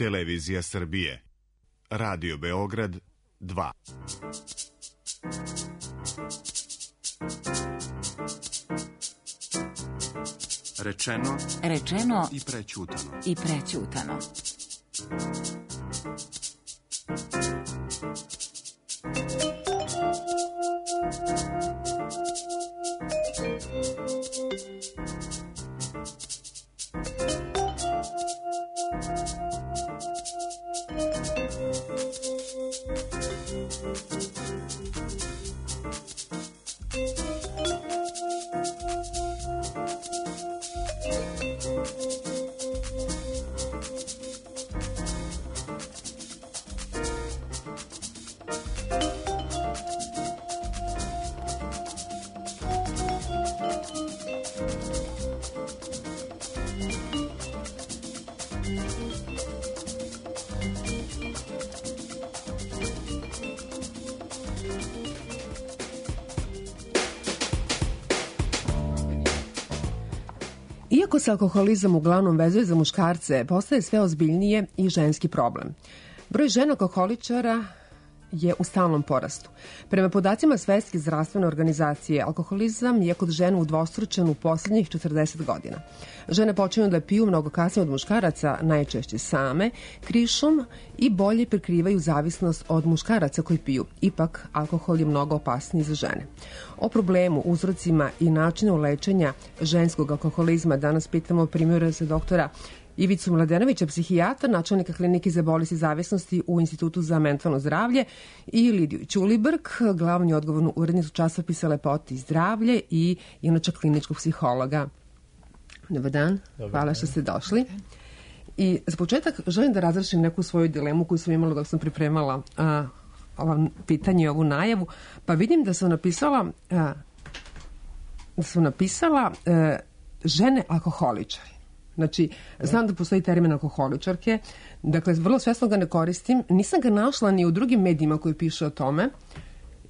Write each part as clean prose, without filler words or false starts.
Televizija Srbije, Radio Beograd 2. Rečeno i prećutano. Iako se alkoholizam uglavnom vezuje za muškarce, postaje sve ozbiljnije i ženski problem. Broj žena alkoholičara je u stalnom porastu. Prema podacima Svetske zdravstvene organizacije, alkoholizam je kod žena udvostručen u poslednjih 40 godina. Žene počinju da piju mnogo kasnije od muškaraca, najčešće same, krišom i bolje prikrivaju zavisnost od muškaraca koji piju. Ipak, alkohol je mnogo opasniji za žene. O problemu, uzrocima i načinu lečenja ženskog alkoholizma danas pitamo primjera za doktora Ivicu Mladenovića, psihijatra, načelnika klinike za bolesti zavisnosti u Institutu za mentalno zdravlje, i Lidiju Ćulibrk, glavnu i odgovornu urednicu časopisa Lepota i zdravlje i inače kliničkog psihologa. Dobar dan, hvala što ste došli. I za početak želim da razrešim neku svoju dilemu koju sam imala dok sam pripremala ovo pitanje i ovu najavu, pa vidim da sam napisala žene alkoholičari. Znači, znam da postoji termin alkoholičarke, dakle, vrlo svesno ga ne koristim, nisam ga našla ni u drugim medijima koji piše o tome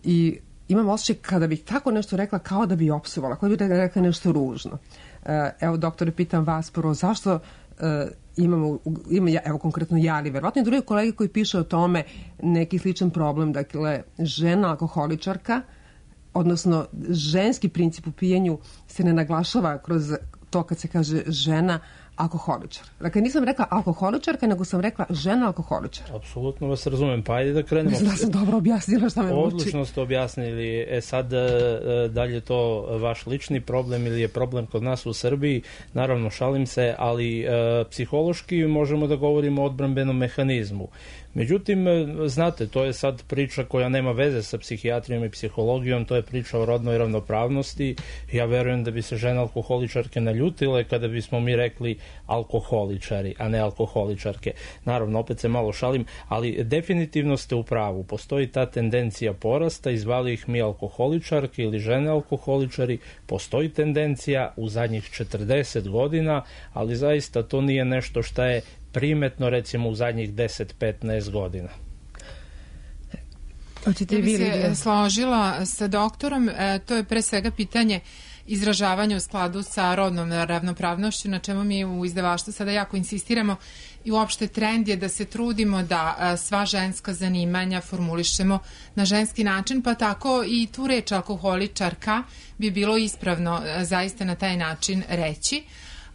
i imam osjećaj kada bih tako nešto rekla kao da bi opsovala, kao da bi rekla nešto ružno. Evo, doktore, pitam vas prvo, zašto imam evo konkretno ja, ali verovatno i drugi kolege koji piše o tome neki sličan problem, dakle, žena alkoholičarka, odnosno ženski princip u pijenju se ne naglašava kroz to kad se kaže žena alkoholičar. Dakle, nisam rekla alkoholičarka, nego sam rekla žena alkoholičar. Apsolutno vas razumem. Pa ajde da krenemo. Mislim da sam dobro objasnila šta me muči. Odlično ste objasnili. Sad, da li je to vaš lični problem ili je problem kod nas u Srbiji? Naravno, šalim se, ali psihološki možemo da govorimo o odbrambenom mehanizmu. Međutim, znate, to je sad priča koja nema veze sa psihijatrijom i psihologijom, to je priča o rodnoj ravnopravnosti. Ja verujem da bi se žene alkoholičarke naljutile kada bismo mi rekli alkoholičari, a ne alkoholičarke. Naravno, opet se malo šalim, ali definitivno ste u pravu. Postoji ta tendencija porasta, izvali ih mi alkoholičarke ili žene alkoholičari, postoji tendencija u zadnjih 40 godina, ali zaista to nije nešto šta je primetno recimo u zadnjih 10-15 godina. Ja bi se složila sa doktorom, to je pre svega pitanje izražavanja u skladu sa rodnom ravnopravnošću, na čemu mi u izdavaštvu sada jako insistiramo, i uopšte trend je da se trudimo da sva ženska zanimanja formulišemo na ženski način, pa tako i tu reč alkoholičarka bi bilo ispravno zaista na taj način reći.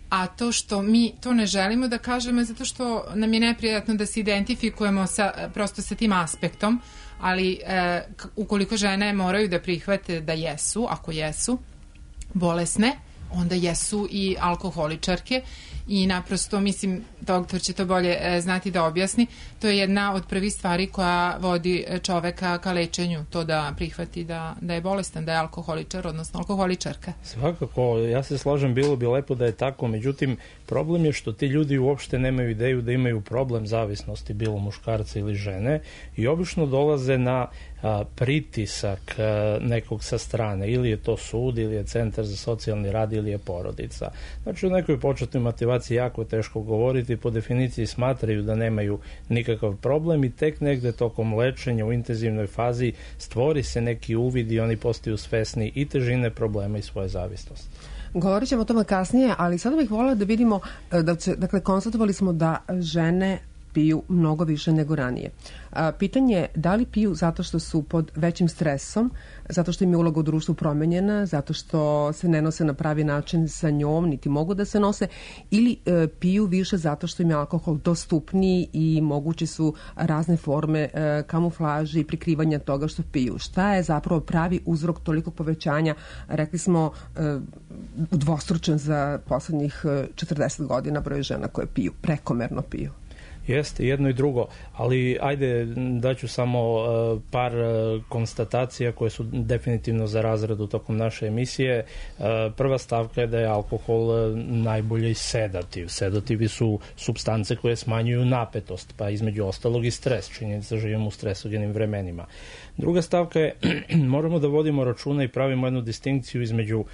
A to što mi to ne želimo da kažemo je zato što nam je neprijatno da se identifikujemo prosto sa tim aspektom, ali ukoliko žene moraju da prihvate da jesu, ako jesu bolesne, onda jesu i alkoholičarke i naprosto, mislim, doktor će to bolje znati da objasni, to je jedna od prvih stvari koja vodi čoveka ka lečenju, to da prihvati da je bolestan, da je alkoholičar, odnosno alkoholičarka. Svakako, ja se slažem, bilo bi lepo da je tako, međutim, problem je što ti ljudi uopšte nemaju ideju da imaju problem zavisnosti, bilo muškarca ili žene, i obično dolaze na pritisak nekog sa strane, ili je to sud, ili je centar za socijalni rad, ili je porodica. Znači, u nekoj početnoj motivaciji jako je teško govoriti, po definiciji smatraju da nemaju nikakav problem i tek negde tokom lečenja u intenzivnoj fazi stvori se neki uvid i oni postaju svesni i težine problema i svoje zavisnosti. Govorit ćemo o tome kasnije, ali sada bih voljela da vidimo, dakle, konstatovali smo da žene piju mnogo više nego ranije. Pitanje je da li piju zato što su pod većim stresom, zato što im je uloga u društvu promenjena, zato što se ne nose na pravi način sa njom, niti mogu da se nose, ili piju više zato što im je alkohol dostupniji i moguće su razne forme kamuflaže i prikrivanja toga što piju. Šta je zapravo pravi uzrok tolikog povećanja, rekli smo, udvostručen za poslednjih 40 godina broj žena koje piju, prekomerno piju? Jeste, jedno i drugo, ali ajde daću samo par konstatacija koje su definitivno za razradu tokom naše emisije. Prva stavka je da je alkohol najbolji sedativ. Sedativi su supstance koje smanjuju napetost, pa između ostalog i stres. Činjenica da živimo u stresogenim vremenima. Druga stavka je, moramo da vodimo računa i pravimo jednu distinkciju između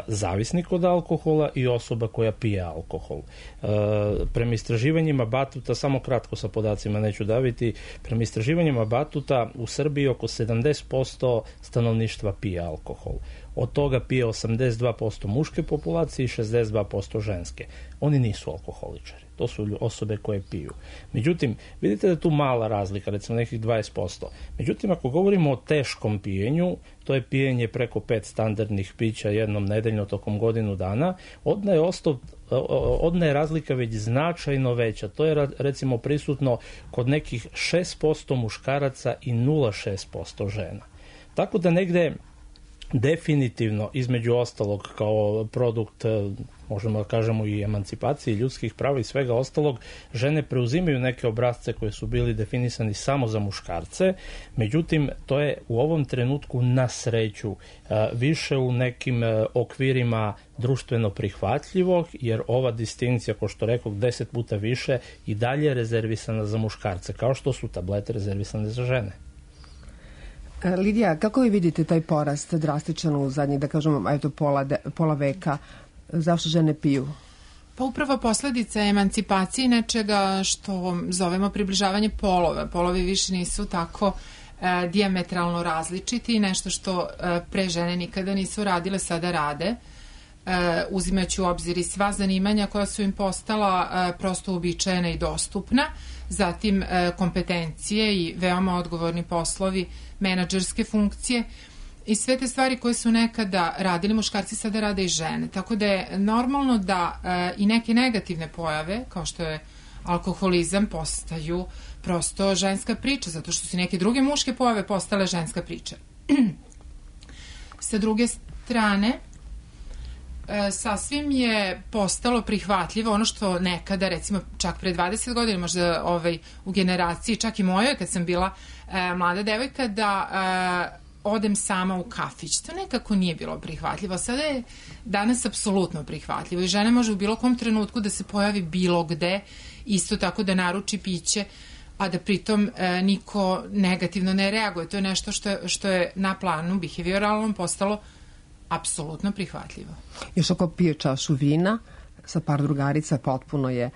zavisnik od alkohola i osoba koja pije alkohol. Prema istraživanjima Batuta, samo kratko sa podacima neću daviti, prema istraživanjima Batuta u Srbiji oko 70% stanovništva pije alkohol. Od toga pije 82% muške populacije i 62% ženske. Oni nisu alkoholičari. To su osobe koje piju. Međutim, vidite da je tu mala razlika, recimo nekih 20%. Međutim, ako govorimo o teškom pijenju, to je pijenje preko 5 standardnih pića jednom nedeljno tokom godinu dana, odna je razlika već značajno veća. To je recimo prisutno kod nekih 6% muškaraca i 0,6% žena. Tako da negde definitivno, između ostalog, kao produkt, možemo da kažemo, i emancipacije ljudskih prava i svega ostalog, žene preuzimaju neke obrasce koje su bili definisani samo za muškarce, međutim, to je u ovom trenutku na sreću više u nekim okvirima društveno prihvatljivog, jer ova distinkcija, ko što rekao, 10 puta više i dalje je rezervisana za muškarce, kao što su tablete rezervisane za žene. Lidija, kako vi vidite taj porast drastičan u zadnjih, da kažemo, pola veka? Zašto žene piju? Pa upravo posledica emancipacije nečega što zovemo približavanje polova. Polovi više nisu tako dijametralno različiti, nešto što pre žene nikada nisu radile, sada rade, uzimajući u obzir i sva zanimanja koja su im postala prosto uobičajena i dostupna, zatim kompetencije i veoma odgovorni poslovi, menadžerske funkcije i sve te stvari koje su nekada radili muškarci, sada rade i žene. Tako da je normalno da i neke negativne pojave, kao što je alkoholizam, postaju prosto ženska priča, zato što su neke druge muške pojave postale ženska priča. Sa druge strane, sasvim je postalo prihvatljivo ono što nekada, recimo čak pre 20 godina, možda u generaciji, čak i mojoj kad sam bila mlada devojka, da odem sama u kafić. To nekako nije bilo prihvatljivo. Sada je danas apsolutno prihvatljivo i žena može u bilo kom trenutku da se pojavi bilo gde, isto tako da naruči piće, a da pritom niko negativno ne reaguje. To je nešto što je na planu behavioralnom postalo apsolutno prihvatljivo. Još ako pije čašu vina sa par drugarica, potpuno je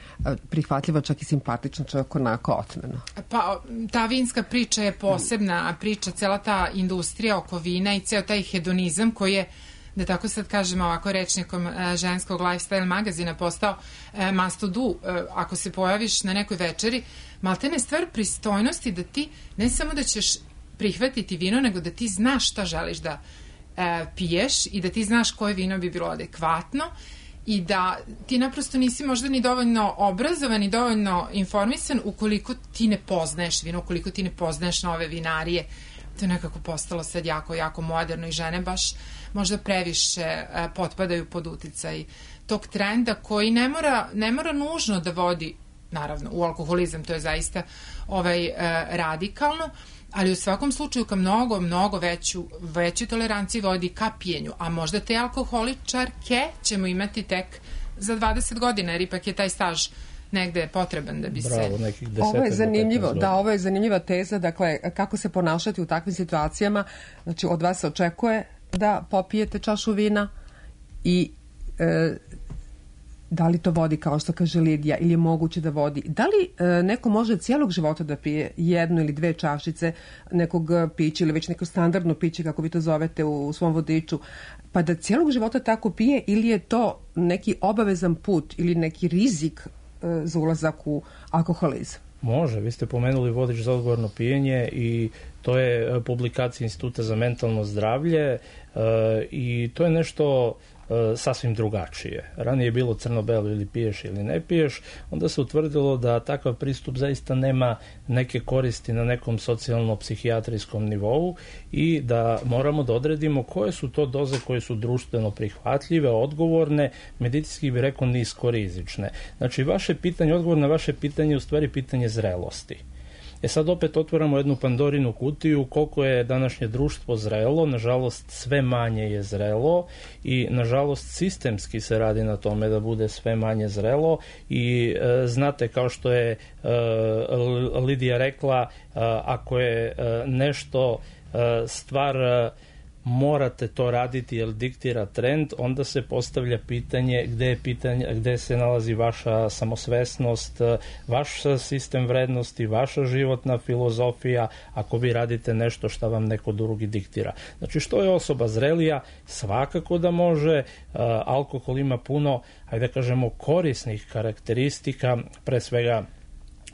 prihvatljiva, čak i simpatična, čak onako otmeno. Pa ta vinska priča je posebna priča, cela ta industrija oko vina i ceo taj hedonizam koji je, da tako sad kažemo ovako rečnikom ženskog lifestyle magazina, postao must to do. Ako se pojaviš na nekoj večeri, maltene stvar pristojnosti da ti ne samo da ćeš prihvatiti vino, nego da ti znaš šta želiš da piješ i da ti znaš koje vino bi bilo adekvatno i da ti naprosto nisi možda ni dovoljno obrazovan ni dovoljno informisan ukoliko ti ne poznaješ vino, ukoliko ti ne poznaješ nove vinarije. To je nekako postalo sad jako, jako moderno i žene baš možda previše potpadaju pod uticaj tog trenda koji ne mora nužno da vodi, naravno, u alkoholizam, to je zaista radikalno, ali u svakom slučaju ka mnogo veću toleranciji vodi ka pijenju, a možda te alkoholičarke ćemo imati tek za 20 godina, jer ipak je taj staž negde potreban da bi se... Bravo, nekih 10. Ovo je zanimljivo, ovo je zanimljiva teza, dakle, kako se ponašati u takvim situacijama. Znači, od vas se očekuje da popijete čašu vina i da li to vodi, kao što kaže Lidija, ili je moguće da vodi? Da li neko može cijelog života da pije jednu ili dve čašice nekog pića ili već neko standardno piće, kako vi to zovete u svom vodiču, pa da cijelog života tako pije, ili je to neki obavezan put ili neki rizik za ulazak u alkoholizam? Može, vi ste pomenuli vodič za odgovorno pijenje i to je publikacija Instituta za mentalno zdravlje i to je nešto sasvim drugačije. Ranije je bilo crno-belo ili piješ ili ne piješ, onda se utvrdilo da takav pristup zaista nema neke koristi na nekom socijalno-psihijatrijskom nivou i da moramo da odredimo koje su to doze koje su društveno prihvatljive, odgovorne, medicinski bi rekao niskorizične. Znači, vaše pitanje, odgovor na vaše pitanje je u stvari pitanje zrelosti. Sad opet otvaramo jednu Pandorinu kutiju, koliko je današnje društvo zrelo, nažalost sve manje je zrelo i nažalost sistemski se radi na tome da bude sve manje zrelo i znate, kao što je Lidija rekla, ako je nešto stvar morate to raditi jer diktira trend, onda se postavlja pitanje gde se nalazi vaša samosvesnost, vaš sistem vrednosti, vaša životna filozofija ako vi radite nešto što vam neko drugi diktira. Znači, što je osoba zrelija? Svakako da može. Alkohol ima puno, ajde da kažemo, korisnih karakteristika, pre svega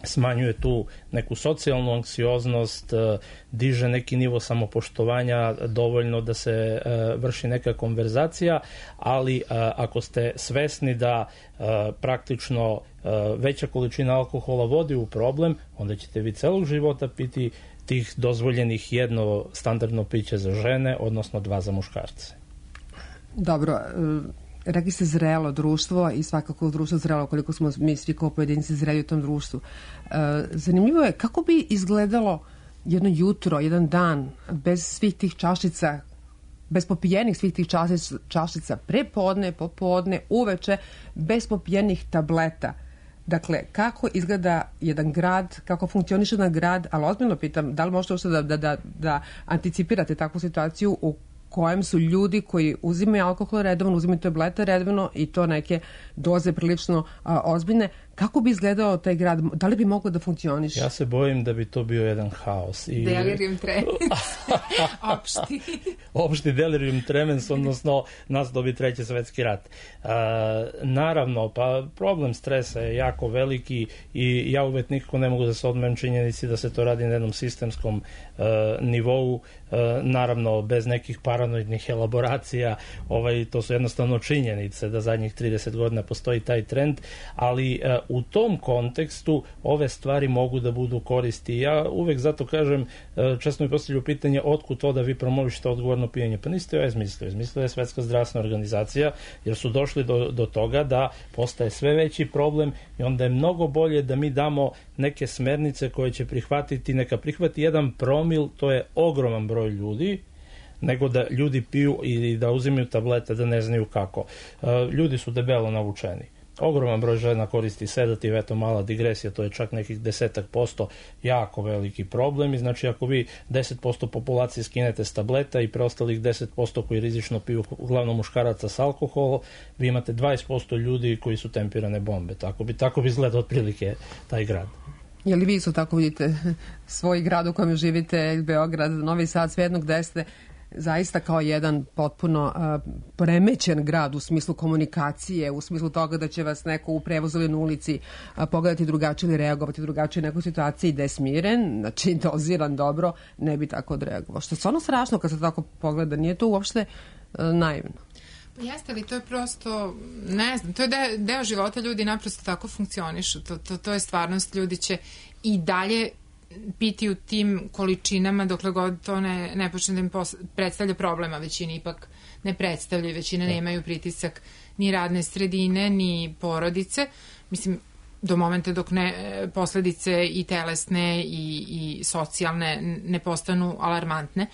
smanjuje tu neku socijalnu anksioznost, diže neki nivo samopoštovanja dovoljno da se vrši neka konverzacija, ali ako ste svesni da praktično veća količina alkohola vodi u problem, onda ćete vi celog života piti tih dozvoljenih jedno standardno piće za žene, odnosno 2 za muškarce. Dobro, rekli ste zrelo društvo i svakako društvo zrelo, koliko smo mi svi kao pojedinci zreli u tom društvu. Zanimljivo je kako bi izgledalo jedno jutro, jedan dan bez svih tih čašica, bez popijenih svih tih čašica prepodne, popodne, uveče, bez popijenih tableta. Dakle, kako izgleda jedan grad, kako funkcioniše jedan grad, ali ozbiljno pitam, da li možete uopšte da anticipirate takvu situaciju u kojem su ljudi koji uzimaju alkohol redovno, uzimaju tablete redovno i to neke doze prilično ozbiljne. Kako bi izgledao taj grad? Da li bi moglo da funkcioniše? Ja se bojim da bi to bio jedan haos. Delirium tremens. Opšti delirium tremens, odnosno nas dobi 3. svetski rat. Naravno, pa problem stresa je jako veliki i ja uvek nikako ne mogu da se odmem činjenici da se to radi na jednom sistemskom nivou, naravno bez nekih paranoidnih elaboracija, to su jednostavno činjenice da zadnjih 30 godina postoji taj trend, ali u tom kontekstu ove stvari mogu da budu koristi. Ja uvek zato kažem, često mi postavljaju pitanje otkud to da vi promovišete odgovorno pijenje. Pa niste joj izmislili. Izmislila je Svetska zdravstvena organizacija, jer su došli do toga da postaje sve veći problem i onda je mnogo bolje da mi damo neke smernice koje će prihvatiti, neka prihvati 1 promil, to je ogroman broj ljudi, nego da ljudi piju ili da uzimaju tablete da ne znaju kako. Ljudi su debelo navučeni. Ogroman broj žena koristi sedativ, eto mala digresija, to je čak nekih 10%, jako veliki problem i znači ako vi 10% populacije skinete s tableta i preostalih 10% koji rizično piju, uglavnom muškaraca s alkoholom, vi imate 20% ljudi koji su tempirane bombe. Tako bi izgleda otprilike taj grad. Je li vi isto tako vidite svoj grad u kojem živite, Beograd, Novi Sad, svejedno gde ste, zaista kao jedan potpuno poremećen grad u smislu komunikacije, u smislu toga da će vas neko u prevozu ili na ulici pogledati drugačije ili reagovati drugačije u nekoj situaciji da je smiren, znači doziran dobro, ne bi tako odreagovao. Što je stvarno strašno kad se tako pogleda, nije to uopšte naivno. Pa jeste li, to je prosto, ne znam, to je deo života, ljudi naprosto tako funkcionišu, to je stvarnost, ljudi će i dalje piti u tim količinama dokle god to ne počne da im predstavlja problema, većini ipak ne predstavlja, većina nemaju pritisak ni radne sredine, ni porodice, mislim, do momenta dok posledice i telesne i socijalne ne postanu alarmantne.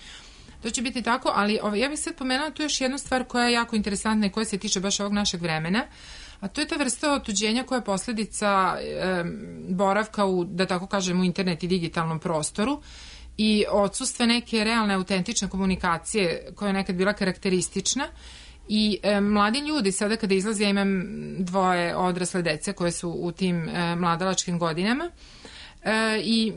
To će biti tako, ali ja bih sad pomenula tu još jednu stvar koja je jako interesantna i koja se tiče baš ovog našeg vremena, a to je ta vrsta otuđenja koja je posledica boravka u, da tako kažem, u internet i digitalnom prostoru i odsustva neke realne, autentične komunikacije koja je nekad bila karakteristična i mladi ljudi sada kada izlaze, ja imam 2 odrasle dece koje su u tim mladalačkim godinama, i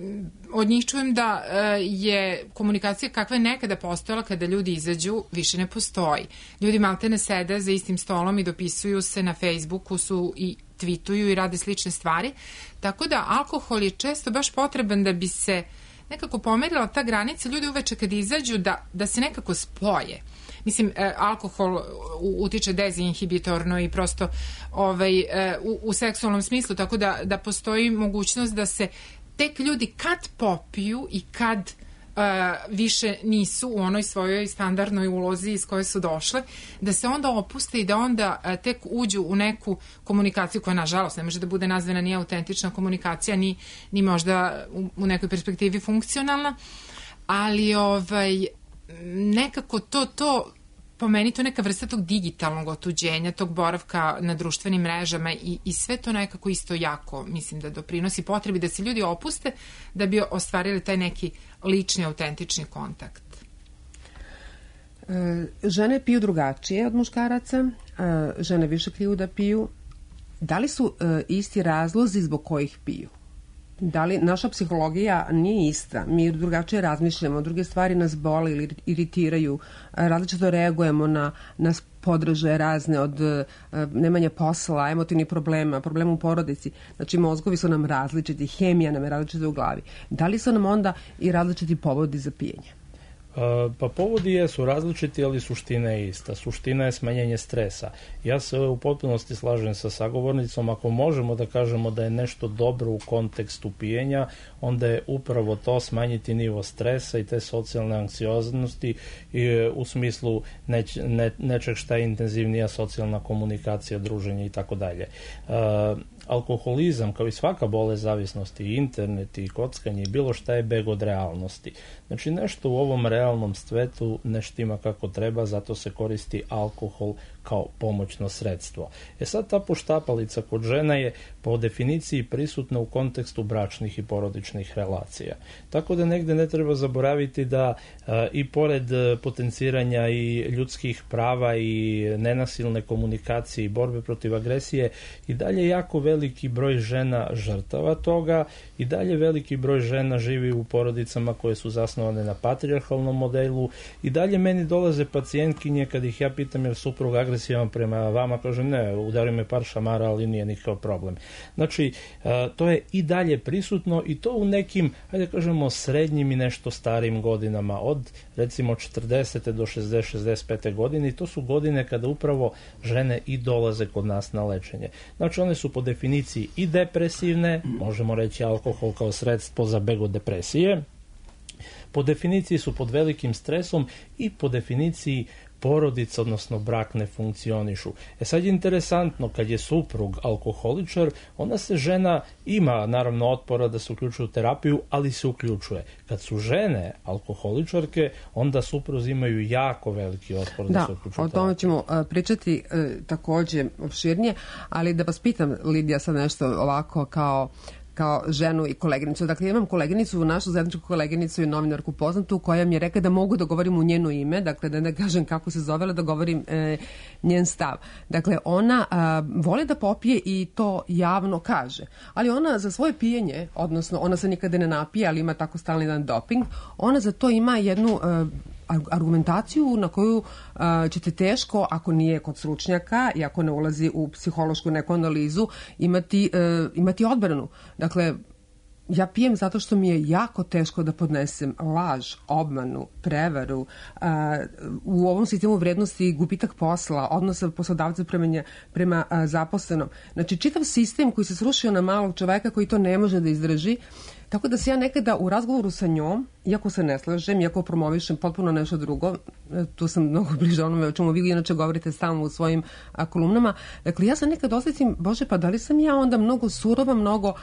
od njih čujem da je komunikacija kakva je nekada postojala kada ljudi izađu, više ne postoji. Ljudi maltene sede za istim stolom i dopisuju se na Facebooku su i tweetuju i rade slične stvari. Tako da alkohol je često baš potreban da bi se nekako pomerila ta granica. Ljudi uveče kad izađu da se nekako spoje. Mislim, alkohol utiče dezinhibitorno i prosto u seksualnom smislu, tako da postoji mogućnost da se tek ljudi kad popiju i kad više nisu u onoj svojoj standardnoj ulozi iz koje su došle, da se onda opuste i da onda tek uđu u neku komunikaciju koja, nažalost, ne može da bude nazvana ni autentična komunikacija, ni možda u nekoj perspektivi funkcionalna, ali nekako to po meni to neka vrsta tog digitalnog otuđenja, tog boravka na društvenim mrežama i sve to nekako isto jako, mislim da doprinosi potrebi da se ljudi opuste da bi ostvarili taj neki lični, autentični kontakt. Žene piju drugačije od muškaraca, žene više kriju da piju. Da li su isti razlozi zbog kojih piju? Da li naša psihologija nije ista? Mi drugačije razmišljamo, druge stvari nas bole ili iritiraju, različito reagujemo na podražaje razne od nemanja posla, emotivnih problema u porodici. Znači, mozgovi su nam različiti, hemija nam je različita u glavi. Da li su nam onda i različiti povodi za pijenje? Pa povodi jesu različiti, ali suština je ista. Suština je smanjenje stresa. Ja se u potpunosti slažem sa sagovornicom. Ako možemo da kažemo da je nešto dobro u kontekstu pijenja, onda je upravo to smanjiti nivo stresa i te socijalne anksioznosti u smislu nečeg šta je intenzivnija socijalna komunikacija, druženje i tako dalje. Alkoholizam, kao i svaka bolest zavisnosti, i internet, i kockanje, i bilo šta je beg od realnosti. Znači, nešto u ovom realnom svetu ne štima kako treba, zato se koristi alkohol kao pomoćno sredstvo. Sad ta poštapalica kod žena je po definiciji prisutna u kontekstu bračnih i porodičnih relacija. Tako da negde ne treba zaboraviti da i pored potenciranja i ljudskih prava i nenasilne komunikacije i borbe protiv agresije, i dalje jako veliki broj žena žrtava toga, i dalje veliki broj žena živi u porodicama koje su zasnovane na patrijarhalnom modelu, i dalje meni dolaze pacijentkinje kad ih ja pitam je suprug agresivan prema vama, kaže ne, udari me par šamara, ali nije nikakav problem. Znači, to je i dalje prisutno i to u nekim, hajde kažemo, srednjim i nešto starijim godinama, od recimo 40. do 60-65. godine, i to su godine kada upravo žene i dolaze kod nas na lečenje. Znači, one su po definiciji i depresivne, možemo reći alkohol kao sredstvo za beg od depresije, po definiciji su pod velikim stresom i po definiciji porodica, odnosno brak, ne funkcionišu. Sad je interesantno, kad je suprug alkoholičar, onda se žena ima naravno otpora da se uključuje u terapiju, ali se uključuje. Kad su žene alkoholičarke, onda supruzi imaju jako veliki otpor da se uključuju u terapiju. Da, o tome ćemo pričati takođe opširnije, ali da vas pitam, Lidija, sad nešto ovako kao ženu i koleginicu. Dakle, imam koleginicu, našu zajedničku koleginicu i novinarku poznatu, koja mi je rekla da mogu da govorim u njeno ime, dakle da ne kažem kako se zove, da govorim njen stav. Dakle, ona voli da popije i to javno kaže. Ali ona za svoje pijenje, odnosno ona se nikada ne napije, ali ima tako stalni jedan doping, ona za to ima jednu argumentaciju na koju ćete teško, ako nije kod stručnjaka i ako ne ulazi u psihološku neku analizu, imati odbranu. Dakle, ja pijem zato što mi je jako teško da podnesem laž, obmanu, prevaru, u ovom sistemu vrednosti gubitak posla, odnosa poslodavca prema zaposlenom. Znači, čitav sistem koji se srušio na malog čoveka koji to ne može da izdrži. Tako da se ja nekada u razgovoru sa njom, iako se ne slažem, iako promovišem potpuno nešto drugo, tu sam mnogo bliže onome o čemu vi inače govorite stalno u svojim kolumnama, dakle ja sam nekad osjetim, Bože, pa da li sam ja onda mnogo surova, mnogo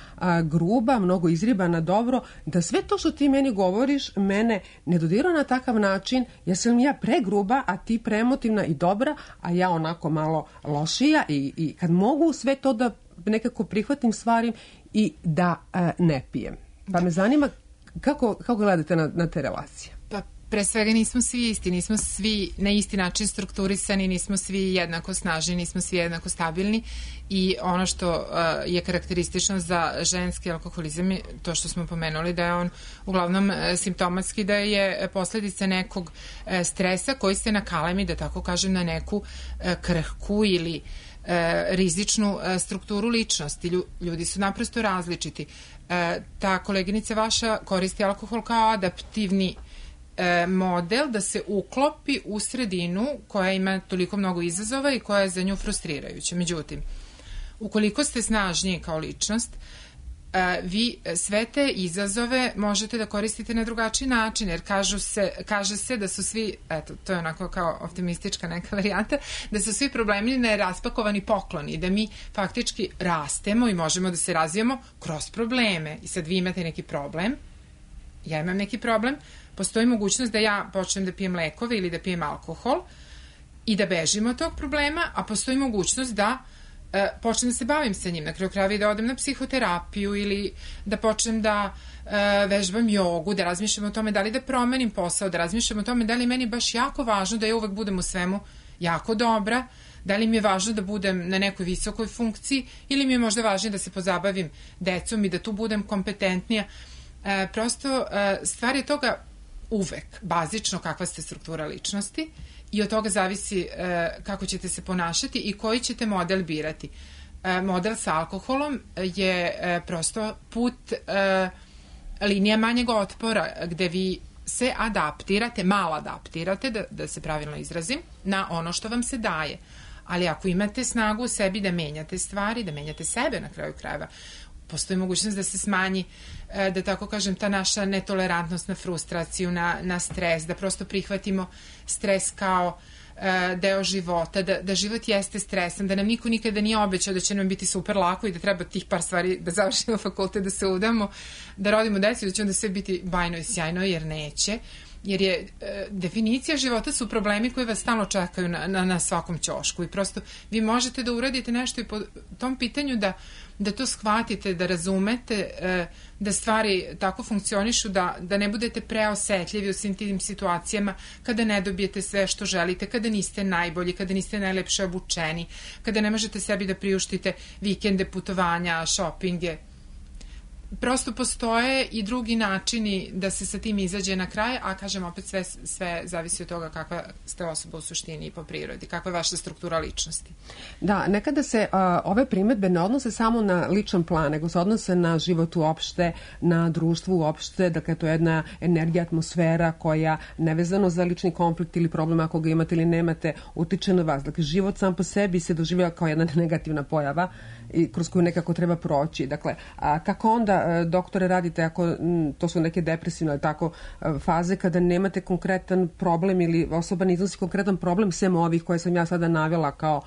gruba, mnogo izribana, dobro, da sve to što ti meni govoriš mene ne dodira na takav način, ja sam ja pregruba, a ti preemotivna i dobra, a ja onako malo lošija i kad mogu sve to da nekako prihvatim stvari i da ne pijem. Pa me zanima kako gledate na te relacije? Pa pre svega nismo svi isti, nismo svi na isti način strukturisani, nismo svi jednako snažni, nismo svi jednako stabilni i ono što je karakteristično za ženski alkoholizam je to što smo pomenuli da je on uglavnom simptomatski, da je posledica nekog stresa koji se nakalemi, da tako kažem, na neku krhku ili rizičnu strukturu ličnosti. Ljudi su naprosto različiti. Ta koleginica vaša koristi alkohol kao adaptivni model da se uklopi u sredinu koja ima toliko mnogo izazova i koja je za nju frustrirajuća. Međutim, ukoliko ste snažniji kao ličnost, vi sve te izazove možete da koristite na drugačiji način, jer kaže se da su svi, eto, to je onako kao optimistička neka varijanta, da su svi problemi neraspakovani pokloni, da mi faktički rastemo i možemo da se razvijamo kroz probleme. I sad vi imate neki problem, ja imam neki problem, postoji mogućnost da ja počnem da pijem lekove ili da pijem alkohol i da bežim od tog problema, a postoji mogućnost da počnem da se bavim sa njim, na kraju krajeva i da odem na psihoterapiju ili da počnem da vežbam jogu, da razmišljam o tome da li da promenim posao, da razmišljam o tome da li meni baš jako važno da ja uvek budem u svemu jako dobra, da li mi je važno da budem na nekoj visokoj funkciji ili mi je možda važnije da se pozabavim decom i da tu budem kompetentnija. Prosto stvar je toga uvek bazično kakva ste struktura ličnosti i od toga zavisi kako ćete se ponašati i koji ćete model birati. Model sa alkoholom je prosto put linija manjeg otpora gde vi se adaptirate, malo adaptirate, da se pravilno izrazim, na ono što vam se daje. Ali ako imate snagu u sebi da menjate stvari, da menjate sebe na kraju krajeva, postoji mogućnost da se smanji, da tako kažem, ta naša netolerantnost na frustraciju, na stres, da prosto prihvatimo stres kao deo života, da život jeste stresan, da nam niko nikada nije obećao da će nam biti super lako i da treba tih par stvari da završimo fakultet, da se udamo, da rodimo decu i da će onda sve biti bajno i sjajno, jer neće. Jer je definicija života su problemi koji vas stalno čekaju na svakom ćošku i prosto vi možete da uradite nešto i po tom pitanju da to shvatite, da razumete da stvari tako funkcionišu, da ne budete preosetljivi u svim tim situacijama kada ne dobijete sve što želite, kada niste najbolji, kada niste najlepše obučeni, kada ne možete sebi da priuštite vikende, putovanja, šopinge. Prosto postoje i drugi načini da se sa tim izađe na kraj, a kažem opet sve zavisi od toga kakva ste osoba u suštini i po prirodi, kakva je vaša struktura ličnosti. Da, nekada se ove primedbe ne odnose samo na ličan plan, nego se odnose na život uopšte, na društvo uopšte, dakle to je jedna energija, atmosfera koja nevezano za lični konflikt ili problem ako ga imate ili nemate, utiče na vas. Dakle, život sam po sebi se doživljava kao jedna negativna pojava i kroz koju nekako treba proći. Dakle, kako onda, doktore, radite ako to su neke depresivne tako faze kada nemate konkretan problem ili osoba ne iznosi konkretan problem sem ovih koje sam ja sada navela kao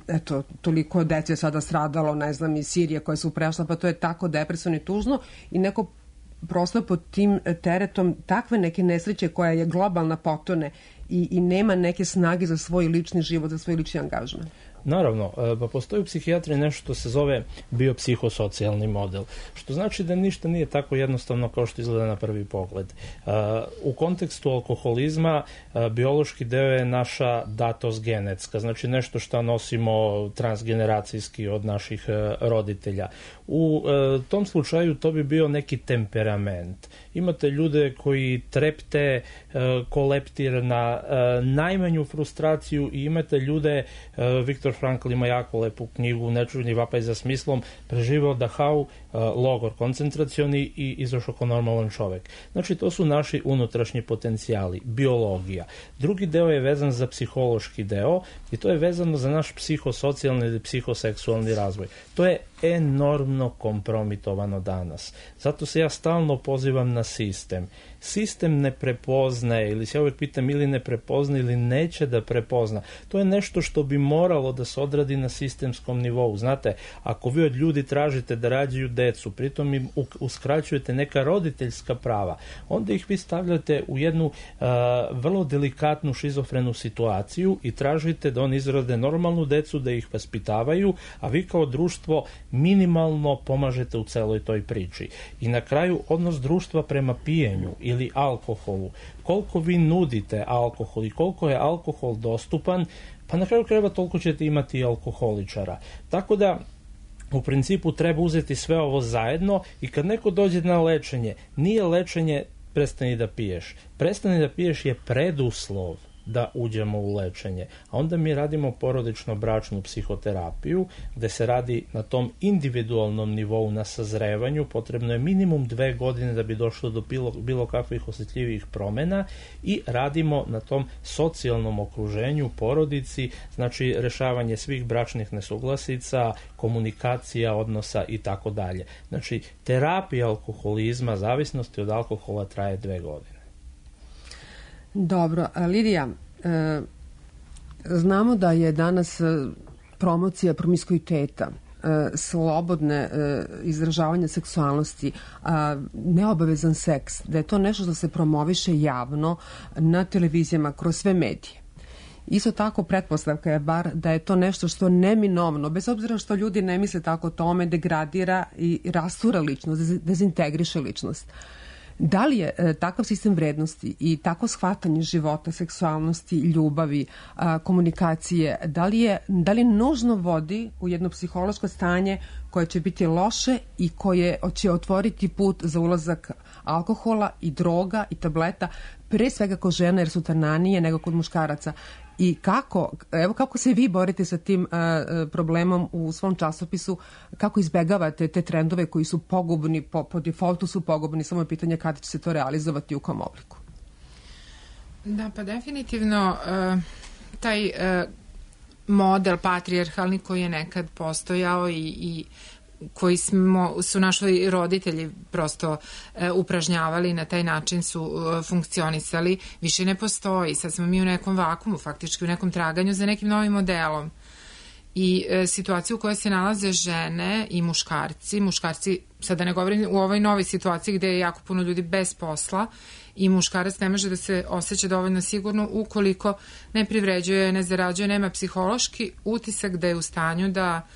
eto, toliko dece je sada stradalo, ne znam, iz Sirije koje su prešla, pa to je tako depresivno i tužno i neko prosto pod tim teretom takve neke nesreće koja je globalna potone i nema neke snage za svoj lični život, za svoj lični angažman. Naravno, pa postoji u psihijatriji nešto što se zove biopsihosocijalni model, što znači da ništa nije tako jednostavno kao što izgleda na prvi pogled. U kontekstu alkoholizma biološki deo je naša datost genetska, znači nešto što nosimo transgeneracijski od naših roditelja. U tom slučaju to bi bio neki temperament. Imate ljude koji trepte ko leptir na najmanju frustraciju i imate ljude, Viktor Frankl ima jako lepu knjigu Nečuveni vapaj za smislom, preživeo Dachau, logor koncentracioni i izašao kao normalan čovek. Znači, to su naši unutrašnji potencijali, biologija. Drugi deo je vezan za psihološki deo i to je vezano za naš psihosocijalni ili psihoseksualni razvoj. To je enormno kompromitovano danas. Zato se ja stalno pozivam na sistem. Sistem ne prepoznaje, ili se ja uvijek pitam ili ne prepozna ili neće da prepozna. To je nešto što bi moralo da se odradi na sistemskom nivou. Znate, ako vi od ljudi tražite da rađaju decu, pritom im uskraćujete neka roditeljska prava, onda ih vi stavljate u jednu vrlo delikatnu šizofrenu situaciju i tražite da oni izrode normalnu decu, da ih vaspitavaju, a vi kao društvo minimalno pomažete u celoj toj priči. I na kraju odnos društva prema pijenju ili alkoholu. Koliko vi nudite alkohol i koliko je alkohol dostupan, pa na kraju krajeva toliko ćete imati i alkoholičara. Tako da u principu treba uzeti sve ovo zajedno i kad neko dođe na lečenje, nije lečenje prestani da piješ. Prestani da piješ je preduslov da uđemo u lečenje. A onda mi radimo porodično-bračnu psihoterapiju, gde se radi na tom individualnom nivou na sazrevanju. Potrebno je minimum 2 godine da bi došlo do bilo kakvih osjetljivih promena i radimo na tom socijalnom okruženju, porodici, znači rešavanje svih bračnih nesuglasica, komunikacija, odnosa i tako dalje. Znači, terapija alkoholizma, zavisnosti od alkohola traje 2 godine. Dobro, Lidija, znamo da je danas promocija promiskuiteta, slobodne izražavanje seksualnosti, neobavezan seks, da je to nešto što se promoviše javno na televizijama kroz sve medije. Isto tako pretpostavka je bar da je to nešto što neminovno, bez obzira što ljudi ne misle tako o tome, degradira i rastura ličnost, dezintegriše ličnost. Da li je takav sistem vrednosti i tako shvatanje života, seksualnosti, ljubavi, komunikacije, da li nužno vodi u jedno psihološko stanje koje će biti loše i koje će otvoriti put za ulazak alkohola i droga i tableta, pre svega kod žena jer su tananije nego kod muškaraca? I kako se vi borite sa tim problemom u svom časopisu, kako izbegavate te trendove koji su pogubni, po defaultu su pogubni, samo je pitanje kada će se to realizovati i u kom obliku? Da, pa definitivno taj model patrijarhalni koji je nekad postojao i koji su naši roditelji prosto upražnjavali, na taj način su funkcionisali, više ne postoji. Sad smo mi u nekom vakumu, faktički u nekom traganju za nekim novim modelom. I situaciju u kojoj se nalaze žene i muškarci, sad da ne govorim u ovoj novoj situaciji gde je jako puno ljudi bez posla i muškarac ne može da se osjeća dovoljno sigurno ukoliko ne privređuje, ne zarađuje, nema psihološki utisak da je u stanju da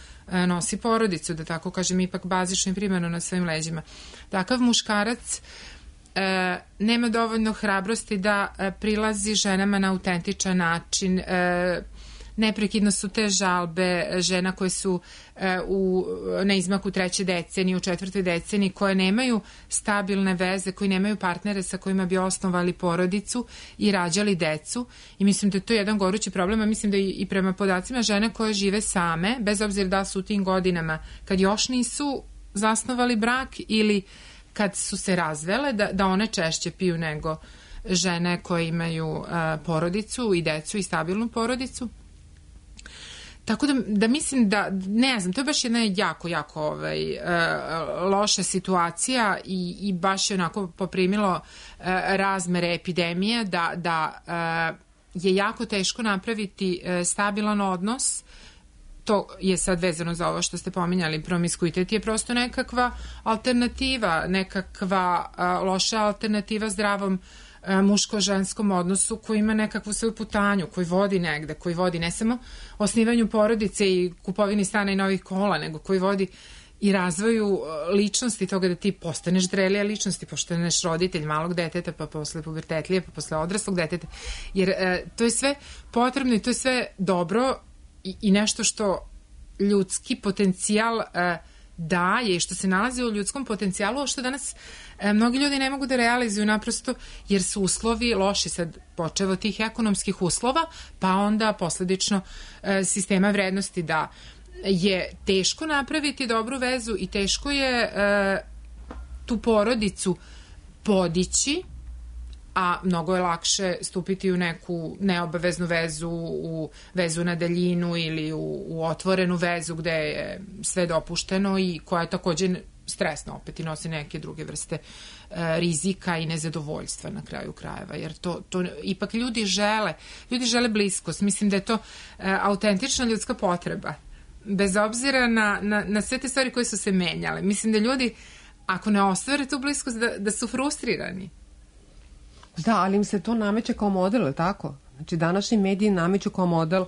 nosi porodicu, da tako kažem, ipak bazično i primarno na svojim leđima. Takav muškarac nema dovoljno hrabrosti da prilazi ženama na autentičan način. Neprekidno su te žalbe žena koje su na izmaku 3. decenije, u 4. deceniji, koje nemaju stabilne veze, koji nemaju partnere sa kojima bi osnovali porodicu i rađali decu. I mislim da je to jedan gorući problem, a mislim da i prema podacima žene koje žive same, bez obzira da su u tim godinama kad još nisu zasnovali brak ili kad su se razvele, da one češće piju nego žene koje imaju porodicu i decu i stabilnu porodicu. Tako da mislim da, ne znam, to je baš jedna jako loša situacija i baš je onako poprimilo razmere epidemije da je jako teško napraviti stabilan odnos. To je sad vezano za ovo što ste pominjali, promiskuitet je prosto nekakva alternativa, nekakva loša alternativa zdravom muško-ženskom odnosu koji ima nekakvu svoju putanju, koji vodi negde, koji vodi ne samo osnivanju porodice i kupovini stana i novih kola, nego koji vodi i razvoju ličnosti, toga da ti postaneš zrelija ličnosti, postaneš roditelj malog deteta, pa posle pubertetlije, pa posle odraslog deteta. Jer to je sve potrebno i to je sve dobro i nešto što ljudski potencijal daje i što se nalazi u ljudskom potencijalu, a što danas mnogi ljudi ne mogu da realizuju naprosto jer su uslovi loši, sad počevo tih ekonomskih uslova, pa onda posledično sistema vrednosti, da je teško napraviti dobru vezu i teško je tu porodicu podići, a mnogo je lakše stupiti u neku neobaveznu vezu, u vezu na daljinu ili u otvorenu vezu gde je sve dopušteno i koja je takođe stresna opet i nosi neke druge vrste rizika i nezadovoljstva na kraju krajeva, jer to ipak ljudi žele bliskost. Mislim da je to autentična ljudska potreba, bez obzira na sve te stvari koje su se menjale. Mislim da ljudi, ako ne ostvare tu bliskost, da su frustrirani. Da, ali im se to nameće kao model, tako? Znači, današnji mediji nameću kao model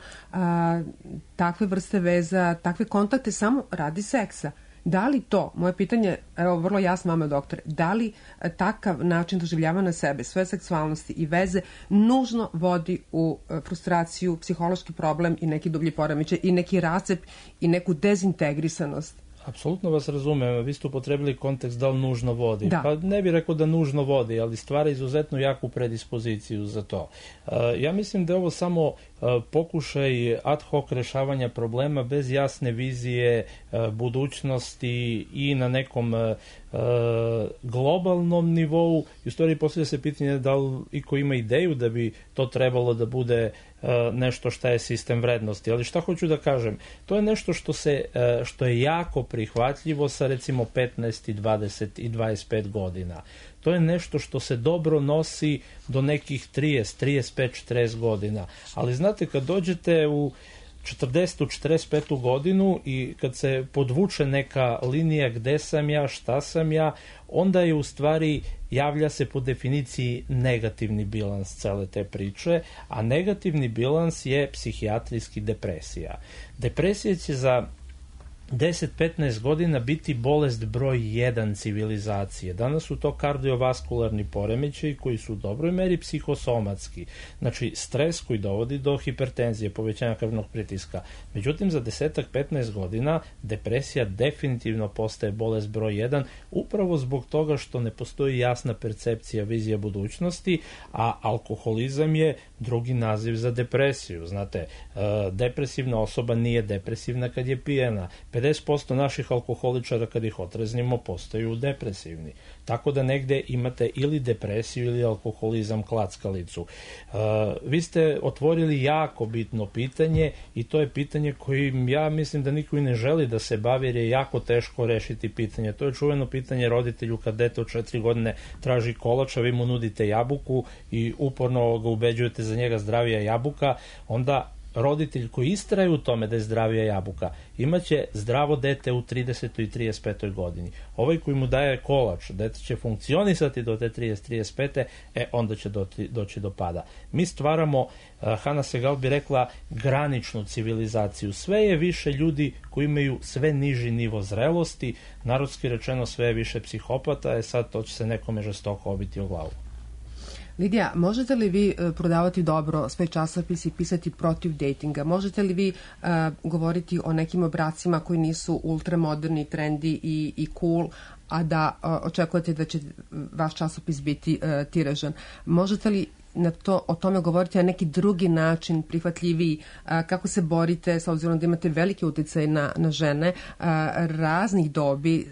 takve vrste veza, takve kontakte samo radi seksa. Da li to, moje pitanje, evo vrlo jasno vama doktore, da li takav način doživljavanja sebe, svoje seksualnosti i veze nužno vodi u frustraciju, psihološki problem i neki dublji poremećaj i neki rascep i neku dezintegrisanost? Apsolutno vas razumem, vi ste upotrebili kontekst da li nužno vodi. Da. Pa ne bih rekao da nužno vodi, ali stvara izuzetno jaku predispoziciju za to. Ja mislim da je ovo samo pokušaj ad hoc rešavanja problema bez jasne vizije budućnosti i na nekom globalnom nivou. I u stvari postavlja se pitanje da li iko ima ideju da bi to trebalo da bude nešto šta je sistem vrednosti. Ali šta hoću da kažem? To je nešto što je jako prihvatljivo sa recimo 15 i 20 i 25 godina. To je nešto što se dobro nosi do nekih 30, 35, 40 godina. Ali znate, kad dođete u 40. 45. godinu i kad se podvuče neka linija gde sam ja, šta sam ja, onda je u stvari, javlja se po definiciji negativni bilans cele te priče, a negativni bilans je psihijatrijski depresija. Depresija će za 10-15 godina biti bolest broj 1 civilizacije. Danas su to kardiovaskularni poremećaji koji su u dobroj meri psihosomatski. Znači, stres koji dovodi do hipertenzije, povećanja krvnog pritiska. Međutim, za 10-15 godina depresija definitivno postaje bolest broj 1, upravo zbog toga što ne postoji jasna percepcija, vizija budućnosti, a alkoholizam je drugi naziv za depresiju. Znate, depresivna osoba nije depresivna kad je pijena. 50% naših alkoholičara kad ih otreznimo postaju depresivni. Tako da negde imate ili depresiju ili alkoholizam klackalicu. Vi ste otvorili jako bitno pitanje i to je pitanje kojim ja mislim da niko i ne želi da se bavi jer je jako teško rešiti pitanje. To je čuveno pitanje roditelju kad dete od 4 godine traži kolač, a vi mu nudite jabuku i uporno ga ubeđujete za njega zdravija jabuka, onda roditelj koji istraje u tome da je zdravija jabuka imaće zdravo dete u 30. i 35. godini. Ovaj koji mu daje kolač, dete će funkcionisati do te 30-35. Onda će doći do pada. Mi stvaramo, Hana Segal bi rekla, graničnu civilizaciju. Sve je više ljudi koji imaju sve niži nivo zrelosti, narodski rečeno sve je više psihopata, sad to će se nekome žestoko obiti o glavu. Lidija, možete li vi prodavati dobro svoj časopis i pisati protiv dejtinga? Možete li vi govoriti o nekim obracima koji nisu ultramoderni, trendi i cool, a da očekujete da će vaš časopis biti tiražan? Možete li o tome govoriti na neki drugi način, prihvatljiviji, kako se borite, s obzirom da imate veliki uticaj na žene raznih dobi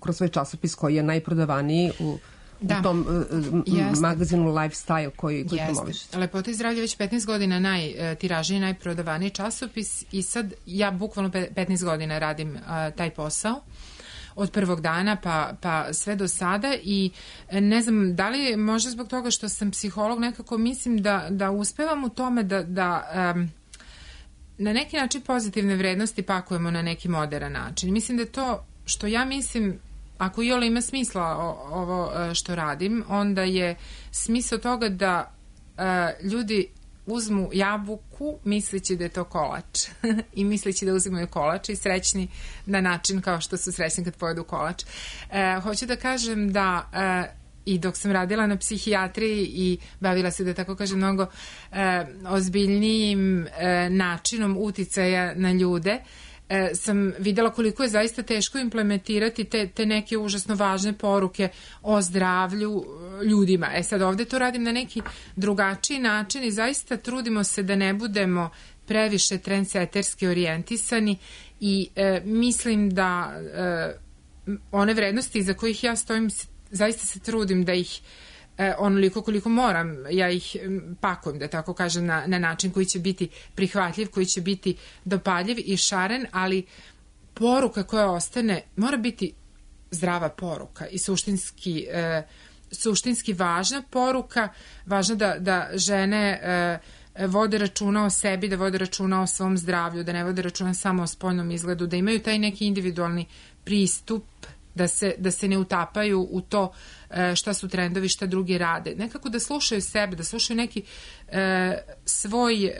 kroz svoj časopis koji je najprodavaniji u tom magazinu Lifestyle koji promovišete. Lepota i zdravlje već 15 godina najtiražniji, najprodavaniji časopis i sad ja bukvalno 15 godina radim taj posao od prvog dana pa sve do sada i ne znam da li možda zbog toga što sam psiholog nekako mislim da uspevam u tome da na neki način pozitivne vrednosti pakujemo na neki modern način. Mislim da to što ja mislim, ako iole ima smisla ovo što radim, onda je smisao toga da ljudi uzmu jabuku misleći da je to kolač i misleći da uzimaju kolač i srećni na način kao što su srećni kad pojedu kolač. Hoću da kažem da i dok sam radila na psihijatriji i bavila se, da tako kažem, mnogo ozbiljnijim načinom uticaja na ljude, sam videla koliko je zaista teško implementirati te neke užasno važne poruke o zdravlju ljudima. Sad ovde to radim na neki drugačiji način i zaista trudimo se da ne budemo previše trendseterski orijentisani i mislim da one vrednosti za kojih ja stojim, zaista se trudim da ih onoliko koliko moram, ja ih pakujem, da tako kažem, na način koji će biti prihvatljiv, koji će biti dopaljiv i šaren, ali poruka koja ostane mora biti zdrava poruka i suštinski važna poruka, važno da žene vode računa o sebi, da vode računa o svom zdravlju, da ne vode računa samo o spoljnom izgledu, da imaju taj neki individualni pristup da se ne utapaju u to šta su trendovi, šta drugi rade. Nekako da slušaju sebe, da slušaju neki svoj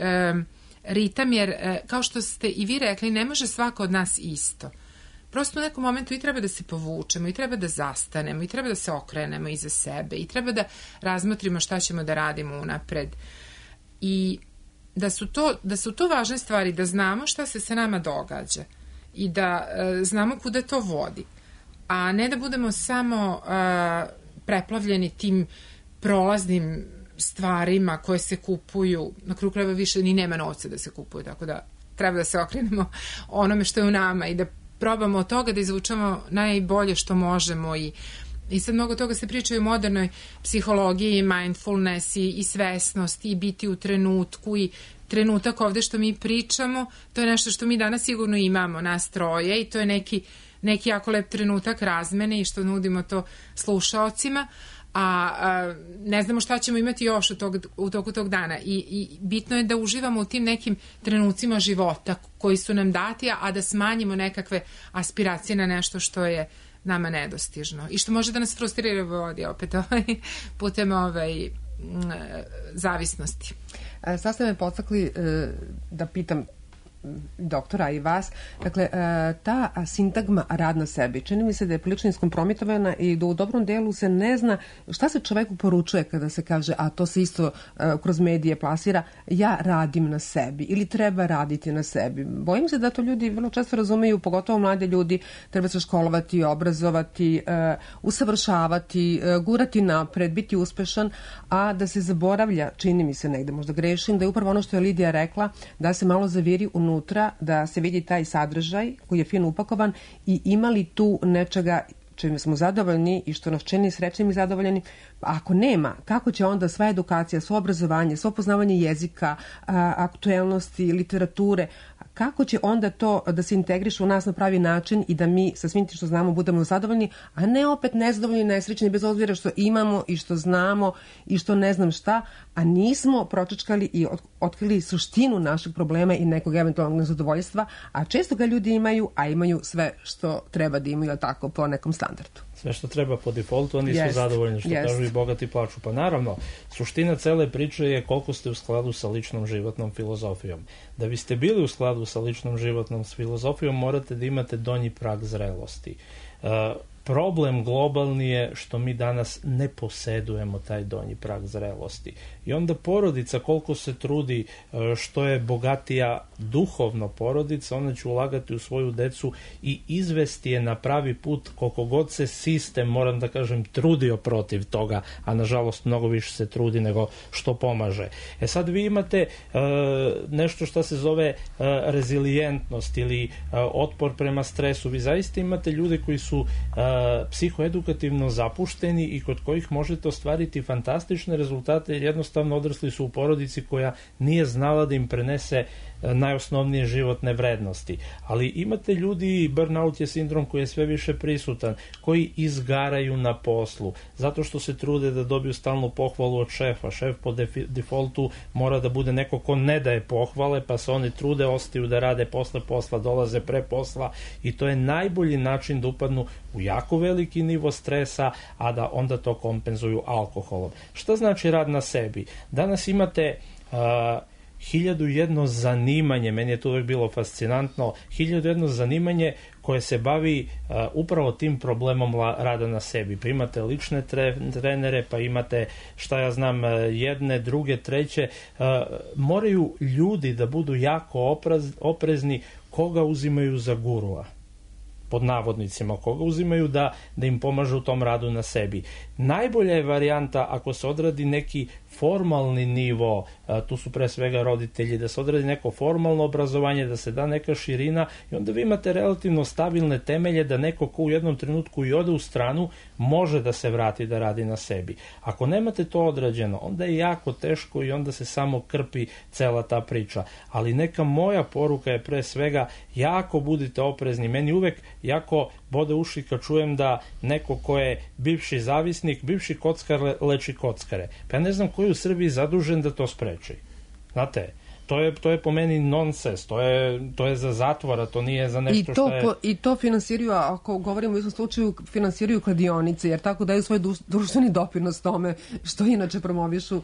ritam, jer kao što ste i vi rekli, ne može svako od nas isto. Prosto u nekom momentu i treba da se povučemo, i treba da zastanemo, i treba da se okrenemo iza sebe, i treba da razmotrimo šta ćemo da radimo unapred. I da su to važne stvari, da znamo šta se sa nama događa i da znamo kuda to vodi, a ne da budemo samo preplavljeni tim prolaznim stvarima koje se kupuju. Na kraju krajeva više ni nema novca da se kupuju, tako da treba da se okrenemo onome što je u nama i da probamo od toga da izvučemo najbolje što možemo. I sad mnogo toga se priča i u modernoj psihologiji, mindfulness i svesnost i biti u trenutku i trenutak ovde što mi pričamo, to je nešto što mi danas sigurno imamo, nas troje, i to je neki jako lep trenutak razmene i što nudimo to slušaocima, a ne znamo šta ćemo imati još u toku tog dana i bitno je da uživamo u tim nekim trenucima života koji su nam dati, a da smanjimo nekakve aspiracije na nešto što je nama nedostižno i što može da nas frustrira vodi opet putem zavisnosti. Sad ste me podstakli da pitam doktora i vas, dakle, ta sintagma rad na sebi, čini mi se da je prilično iskompromitovana i da u dobrom delu se ne zna šta se čoveku poručuje kada se kaže, a to se isto kroz medije plasira, ja radim na sebi ili treba raditi na sebi. Bojim se da to ljudi vrlo često razumeju, pogotovo mlade ljudi, treba se školovati, obrazovati, usavršavati, gurati napred, biti uspešan, a da se zaboravlja, čini mi se negde, možda grešim, da je upravo ono što je Lidija rekla, da se malo zaviri unutra, da se vidi taj sadržaj koji je fino upakovan i ima li tu nečega čime smo zadovoljni i što nas čini srećnim i zadovoljeni. Ako nema, kako će onda sva edukacija, svo obrazovanje, svo poznavanje jezika, aktuelnosti, literature, kako će onda to da se integriše u nas na pravi način i da mi sa svim tim što znamo budemo zadovoljni, a ne opet nezadovoljni, nesrećni, bez obzira što imamo i što znamo i što ne znam šta, a nismo pročačkali i otkrili suštinu našeg problema i nekog eventualnog nezadovoljstva, a često ga ljudi imaju, a imaju sve što treba da imaju, tako, po nekom standardu. Sve što treba po defaultu, oni su zadovoljni, što kažu i bogati plaču. Pa naravno, suština cele priče je koliko ste u skladu sa ličnom životnom filozofijom. Da biste bili u skladu sa ličnom životnom filozofijom, morate da imate donji prag zrelosti. Problem globalni je što mi danas ne posedujemo taj donji prag zrelosti. I onda porodica, koliko se trudi, što je bogatija duhovno porodica, ona će ulagati u svoju decu i izvesti je na pravi put, koliko god se sistem, moram da kažem, trudio protiv toga, a nažalost mnogo više se trudi nego što pomaže. Sad vi imate nešto što se zove rezilijentnost ili otpor prema stresu. Vi zaista imate ljude koji su psihoedukativno zapušteni i kod kojih možete ostvariti fantastične rezultate jer jednostavno odrasli su u porodici koja nije znala da im prenese najosnovnije životne vrednosti. Ali imate ljudi, burnout je sindrom koji je sve više prisutan, koji izgaraju na poslu, zato što se trude da dobiju stalnu pohvalu od šefa. Šef po defaultu mora da bude neko ko ne daje pohvale, pa se oni trude, ostaju da rade posle posla, dolaze pre posla i to je najbolji način da upadnu u jako veliki nivo stresa, a da onda to kompenzuju alkoholom. Šta znači rad na sebi? Danas imate 1001 zanimanje, meni je to uvek bilo fascinantno, 1001 zanimanje koje se bavi upravo tim problemom rada na sebi. Pa imate lične trenere, pa imate, šta ja znam, jedne, druge, treće. Moraju ljudi da budu jako oprezni koga uzimaju za gurua, pod navodnicima, koga uzimaju da im pomažu u tom radu na sebi. Najbolja je varijanta ako se odradi neki formalni nivo, tu su pre svega roditelji, da se odradi neko formalno obrazovanje, da se da neka širina i onda vi imate relativno stabilne temelje da neko ko u jednom trenutku i ode u stranu može da se vrati da radi na sebi. Ako nemate to odrađeno, onda je jako teško i onda se samo krpi cela ta priča. Ali neka moja poruka je pre svega jako budite oprezni. Meni uvek jako bode uši kad čujem da neko ko je bivši zavisnik, bivši kockar leči kockare. Pa ja ne znam ko je u Srbiji zadužen da to spreči. Znate, to je po meni nonsens, to je za zatvora, to nije za nešto što je... I to finansiraju, ako govorimo u istom slučaju, finansiraju kladionice, jer tako daju svoj društveni doprinos tome što inače promovišu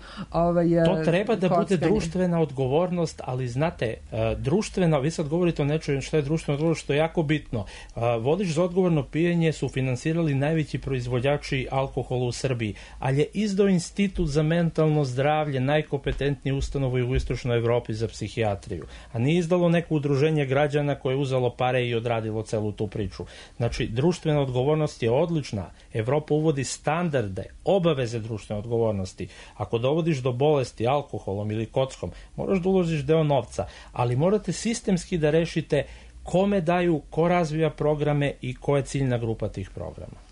To treba da kockanje. bude društvena odgovornost, ali znate, društvena, vi sad govorite o nečem što je društvena odgovornost, što je jako bitno. Vodič za odgovorno pijenje su finansirali najveći proizvođači alkohola u Srbiji, ali je izdao Institut za mentalno zdravlje, najkompetentnije ustanovu u jugoistočnoj Evropi za psihijatriju, a nije izdalo neko udruženje građana koje je uzelo pare i odradilo celu tu priču. Znači, društvena odgovornost je odlična. Evropa uvodi standarde, obaveze društvene odgovornosti. Ako dovodiš do bolesti alkoholom ili kockom, moraš da uložiš deo novca, ali morate sistemski da rešite kome daju, ko razvija programe i ko je ciljna grupa tih programa.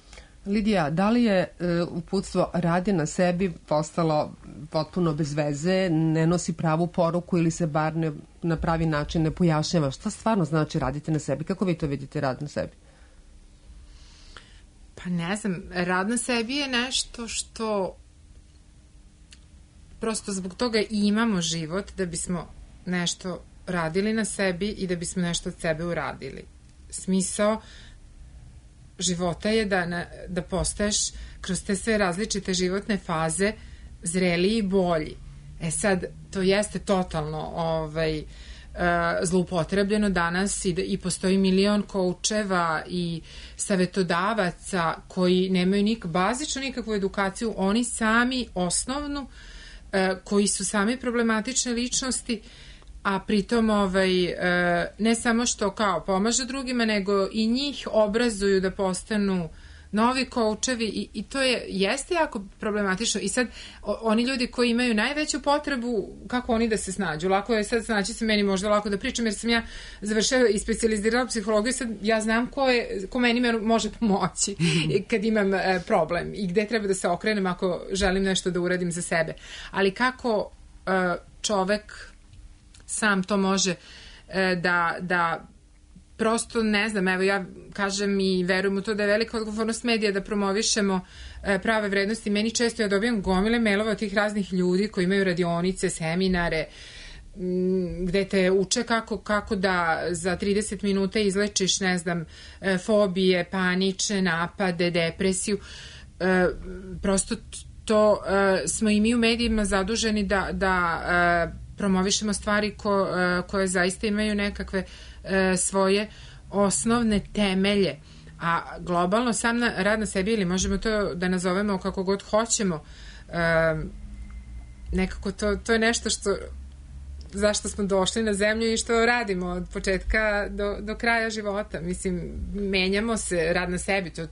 Lidija, da li je uputstvo radi na sebi postalo potpuno bez veze, ne nosi pravu poruku ili se bar na pravi način ne pojašnjava? Šta stvarno znači raditi na sebi? Kako vi to vidite, rad na sebi? Pa ne znam, rad na sebi je nešto što prosto zbog toga i imamo život, da bismo nešto radili na sebi i da bismo nešto od sebe uradili. Smisao života je da postaješ kroz te sve različite životne faze zreliji i bolji. Sad, to jeste totalno zloupotrebljeno danas i postoji milion koučeva i savetodavaca koji nemaju bazično nikakvu edukaciju, oni sami osnovnu, koji su sami problematične ličnosti, a pritom ne samo što kao pomažu drugima, nego i njih obrazuju da postanu novi koučevi i to jeste jako problematično. I sad, oni ljudi koji imaju najveću potrebu, kako oni da se snađu? Lako je sad snaći se meni možda lako da pričam, jer sam ja završila i specijalizirala psihologiju, sad ja znam ko meni može pomoći kad imam problem i gde treba da se okrenem ako želim nešto da uradim za sebe. Ali kako čovek sam to može da prosto ne znam, evo ja kažem i verujem u to da je velika odgovornost medija da promovišemo prave vrednosti. Meni često ja dobijam gomile mailova od tih raznih ljudi koji imaju radionice, seminare, gde te uče kako da za 30 minuta izlečiš, ne znam, fobije, panične napade, depresiju. Prosto to smo i mi u medijima zaduženi da promovišemo stvari koje zaista imaju nekakve svoje osnovne temelje. A globalno sam rad na sebi, ili možemo to da nazovemo kako god hoćemo, nekako to je nešto zašto smo došli na zemlju i što radimo od početka do kraja života. Mislim, menjamo se, rad na sebi, to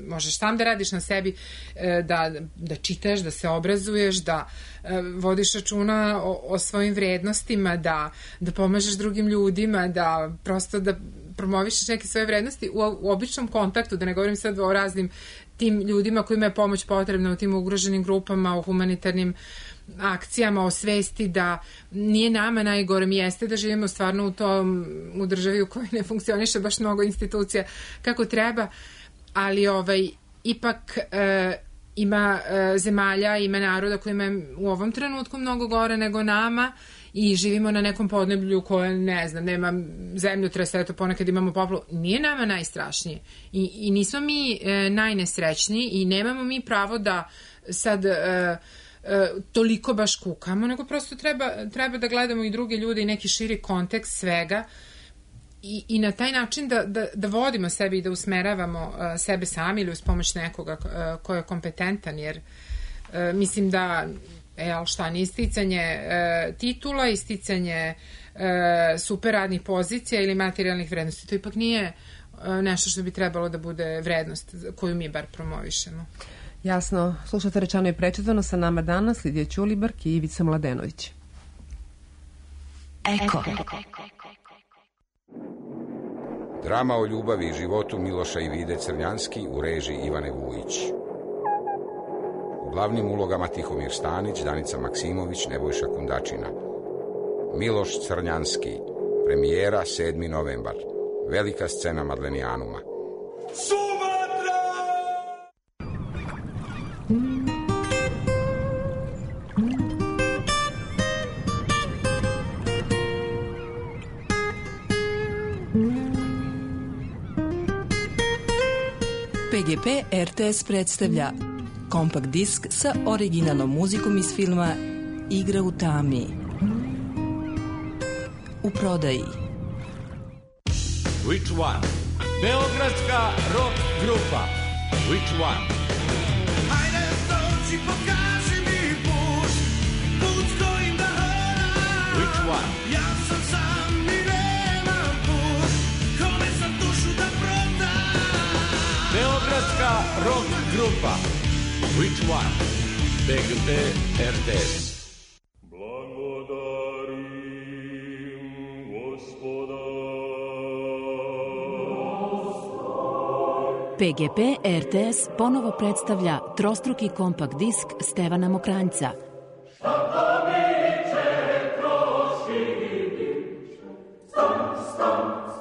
možeš sam da radiš na sebi, da čitaš, da se obrazuješ, da vodiš računa o svojim vrednostima, da pomažeš drugim ljudima, da prosto da promovišeš neke svoje vrednosti u običnom kontaktu, da ne govorim sad o raznim tim ljudima kojima je pomoć potrebna u tim ugroženim grupama, u humanitarnim akcijama, o svesti da nije nama najgore. Mi jeste da živimo stvarno u državi u kojoj ne funkcioniše baš mnogo institucija kako treba, ali ipak ima zemalja, ima naroda kojima je u ovom trenutku mnogo gore nego nama i živimo na nekom podneblju koje, ne znam, nema zemljotresa, eto ponekad imamo poplavu. Nije nama najstrašnije i nismo mi najnesrećniji i nemamo mi pravo da sad toliko baš kukamo, nego prosto treba da gledamo i druge ljude i neki širi kontekst svega i na taj način da vodimo sebi i da usmeravamo sebe sami ili uz pomoć nekoga ko je kompetentan, jer mislim da šta nije isticanje titula, isticanje super radnih pozicija ili materijalnih vrednosti, to ipak nije nešto što bi trebalo da bude vrednost koju mi bar promovišemo. Jasno, slušate Rečeno i prečitano, sa nama danas Lidija Ćulibrk i Ivica Mladenović. Eko. Drama o ljubavi i životu Miloša i Vide Crnjanski u režiji Ivane Vujić. U glavnim ulogama Tihomir Stanić, Danica Maksimović, Nebojša Kundačina. Miloš Crnjanski, premijera 7. novembar. Velika scena Madlenijanuma. PGP RTS predstavlja kompakt disk sa originalnom muzikom iz filma Igra u tami. U prodaji. Which one? Beogradska rock grupa. Which one? Hajde dođi, pokaži mi put, put kojim da hodam. Which one? Ja sam sam i nemam put, kome sam dušu da prodam. Beogradska rock grupa. Which one? PGP RTS. PGP RTS ponovo predstavlja trostruki kompakt disk Stevana Mokranjca.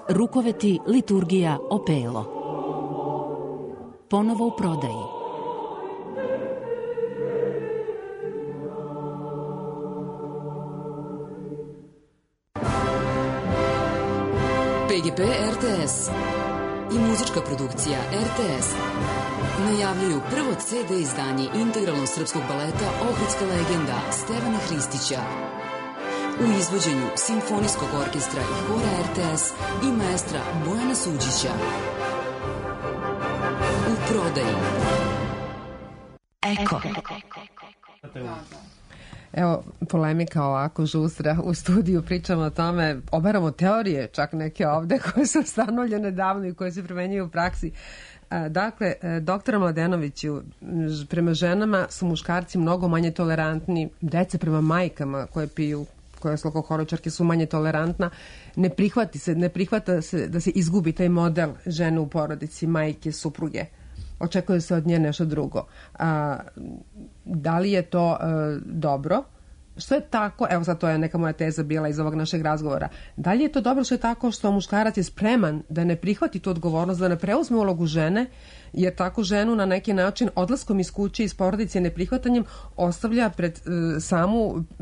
Rukoveti, liturgija, opelo. Ponovo u prodaji. PGP RTS i muzička produkcija RTS najavljuju prvo CD izdanje integralnog srpskog baleta Ohridska legenda Stevana Hristića u izvođenju Simfonijskog orkestra i hora RTS i maestra Bojana Suđića. U prodaji. Eko. Evo, polemika ovako žustra u studiju, pričamo o tome, obaramo teorije, čak neke ovde koje su stanovljene davno i koje se primenjuju u praksi. Dakle, doktora Mladenoviću, prema ženama su muškarci mnogo manje tolerantni, dece prema majkama koje piju, koje su alkoholičarke, su manje tolerantna, ne prihvata se da se izgubi taj model žene u porodici, majke, supruge. Očekuje se od nje nešto drugo. Da li je to dobro? Što je tako, evo sad to je neka moja teza bila iz ovog našeg razgovora, da li je to dobro što je tako što muškarac je spreman da ne prihvati tu odgovornost, da ne preuzme ulogu žene, jer tako ženu na neki način odlaskom iz kuće, iz porodice, neprihvatanjem ostavlja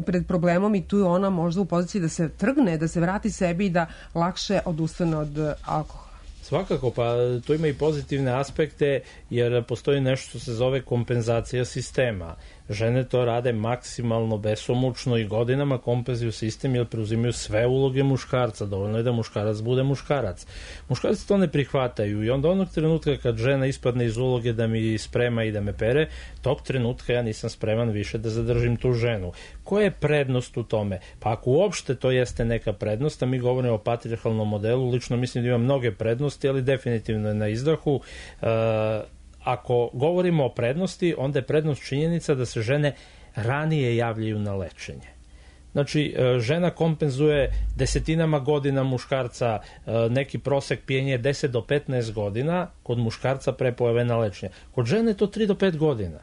pred problemom i tu je ona možda u poziciji da se trgne, da se vrati sebi i da lakše odustane od alkohola. Svakako, pa to ima i pozitivne aspekte, jer postoji nešto što se zove kompenzacija sistema. Žene to rade maksimalno besomučno i godinama kompenzuju sistem jer preuzimaju sve uloge muškarca. Dovoljno je da muškarac bude muškarac. Muškarci to ne prihvataju i onda onog trenutka kad žena ispadne iz uloge da mi sprema i da me pere, tog trenutka ja nisam spreman više da zadržim tu ženu. Koja je prednost u tome? Pa ako uopšte to jeste neka prednost, a mi govorimo o patrijarhalnom modelu, lično mislim da ima mnoge prednosti, ali definitivno je na izdahu. Ako govorimo o prednosti, onda je prednost činjenica da se žene ranije javljaju na lečenje. Znači, žena kompenzuje desetinama godina muškarca, neki prosek pijenja je 10 do 15 godina, kod muškarca pre pojave na lečenje. Kod žene je to 3 do 5 godina.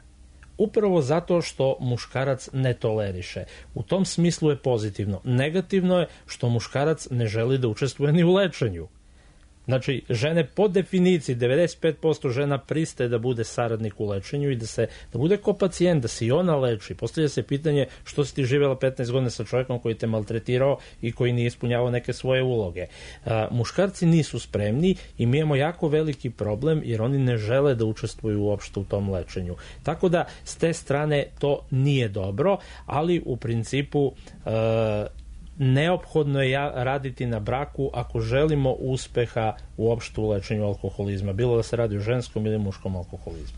Upravo zato što muškarac ne toleriše. U tom smislu je pozitivno. Negativno je što muškarac ne želi da učestvuje ni u lečenju. Znači, žene po definiciji, 95% žena pristaje da bude saradnik u lečenju i da bude ko pacijent, da se i ona leči. Postavlja se pitanje što si ti živjela 15 godina sa čovjekom koji te maltretirao i koji nije ispunjavao neke svoje uloge. Muškarci nisu spremni i mi imamo jako veliki problem jer oni ne žele da učestvuju uopšte u tom lečenju. Tako da, s te strane to nije dobro, ali u principu neophodno je raditi na braku ako želimo uspeha uopšte u lečenju alkoholizma, bilo da se radi o ženskom ili muškom alkoholizmu.